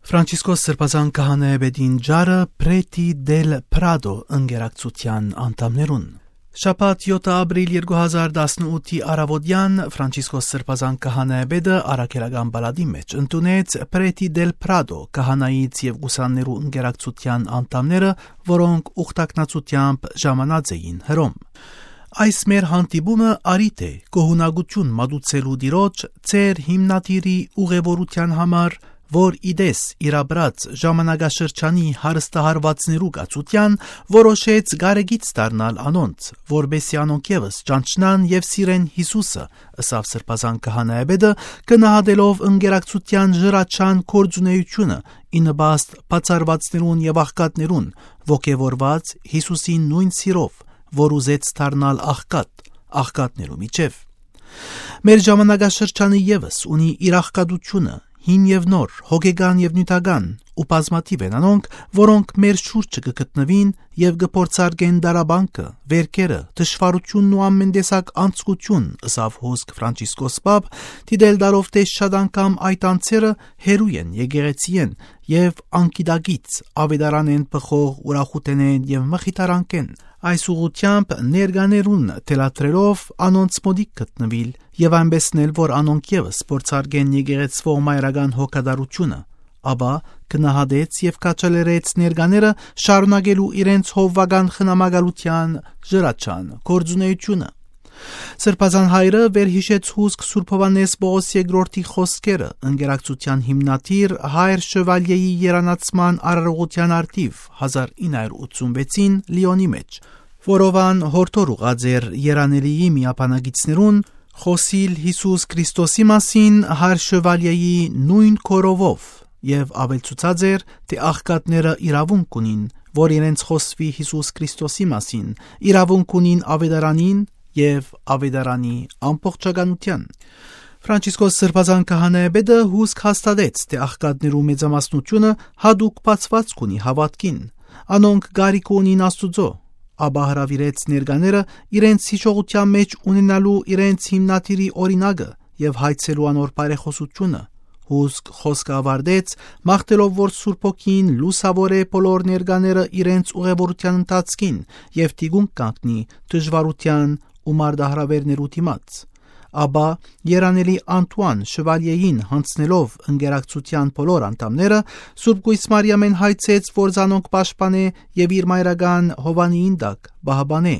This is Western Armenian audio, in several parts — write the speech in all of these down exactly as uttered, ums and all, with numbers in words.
Ֆրանցիսկոս Սրբազան Քահանայապետին ճառը Պրետի դել Պրադո ընկերակցութեան անդամներուն։ Շաբաթ, յոթ ապրիլ երկու հազար տասնութի առաւօտեան Ֆրանցիսկոս Սրբազան Քահանայապետը առաքելական պալատի մէջ ընդունեց Պրետի դել Պրադո քահանայից եւ ուսաններու ընկերակցութեան անդամները, որոնք ուխտակցութեամբ ժամանած էին Հռոմ։ Այս մեր հանդիպումը առիթ է գոհունակութիւն մատուցելու Տիրոջ, ձեր հիմնադիրի ուղևորութեան համար, որ ի տես իր ապրած ժամանակաշրջանի հարստահարուածներու կացութեան որոշեց կարեկից դառնալ անոնց, որպեսզի անոնք եւս ճանչնան եւ սիրեն Յիսուսը, ըսաւ Սրբազան Քահանայապետը, գնահատելով ընկերակցութեան ժրաչան գործունեությունը ի նպաստ բացառուածներուն եւ աղքատներուն, ոգեւորված Յիսուսին նոյն սիրով, որ ուզեց դառնալ աղքատ, աղքատներու միջեւ։ Մեր ժամանակաշրջանը եւս ունի իր աղքատութիւնը, հին եւ նոր, հոգեկան եւ նիւթական, ու բազմաթիւ են անոնք, որոնք մեր շուրջը կը գտնուին եւ կը փորձարկեն տառապանքը, վէրքերը, թշուառութիւնն ու ամէն տեսակ անձկութիւն, ըսաւ հոսք Ֆրանցիսկոս Պապ, դիտել տալով թէ շատ անգամ այդ անձերը հեռու են եկեղեցիէն եւ անգիտակից աւետարանէն բխող ուրախութենէն եւ մխիթարանքէն։ Այս ուղղութեամբ ներկաներուն թելադրելով անոնց մօտիկ գտնուիլ եւ այնպէս նել, որ անոնք եւս փորձարկեն եկեղեցւոյ մայրական հոգատարությունը, ապա գնահատեց եւ քաջալերեց ներկաները շարունակելու իրենց հովուական խնամակալութեան ժրաչան գործունեությունը։ Սրբազան հայրը վերհիշեց հուսկ Սուրբ Յովհաննէս Պողոս երկրորդի խօսքերը, ընկերակցութեան հիմնադիր հայր Շեվալիեի երանացման արարողութեան առթիւ հազար ինը հարիւր ութսունվեցին Լիոնի մէջ, որով ան յորդոր ուղղած էր երանելիի միաբանագիցներուն խօսիլ Յիսուս Քրիստոսի մասին հայր Շեվալիեի նոյն կորովով եւ աւելցուցած էր, թէ աղքատները իրաւունք ունին, որ իրենց խօսուի Յիսուս Քրիստոսի մասին, իրաւունք ունին աւետարանին եւ աւետարանի ամբողջականութեան։ Ֆրանցիսկոս Սրբազան Քահանայապետը հուսկ հաստատեց, թէ աղքատներու մեծամասնութիւնը յատուկ բացուածք ունի հաւատքին։ Անոնք կարիք ունին Աստուծոյ, ապա հրաւիրեց ներկաները իրենց յիշողութեան մէջ ունենալու իրենց հիմնադիրի օրինակը եւ հայցելու անոր բարեխօսութիւնը։ Հուսկ խօսքը աւարտեց, մաղթելով որ Սուրբ Հոգին լուսաւորէ բոլոր ներկաները իրենց ուղևորութեան ընթացքին եւ թիկունք կանգնի դժուարութեան ու մարտահրաւէրներու դիմաց։ Ապա երանելի Անտուան Շեվալիեին յանձնելով ընկերակցութեան բոլոր անդամները, Սուրբ Կոյս Մարիամէն հայցեց որ զանոնք պաշտպանէ եւ իր մայրական հովանիին տակ պահպանէ։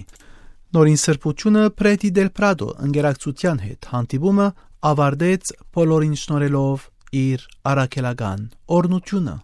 Նորին սրբութիւնը Պրետի դել Պրադո ընկերակցութեան հետ հանդիպումը աւարտեց բոլորին շնորհելով իր առաքելական օրհնութիւնը։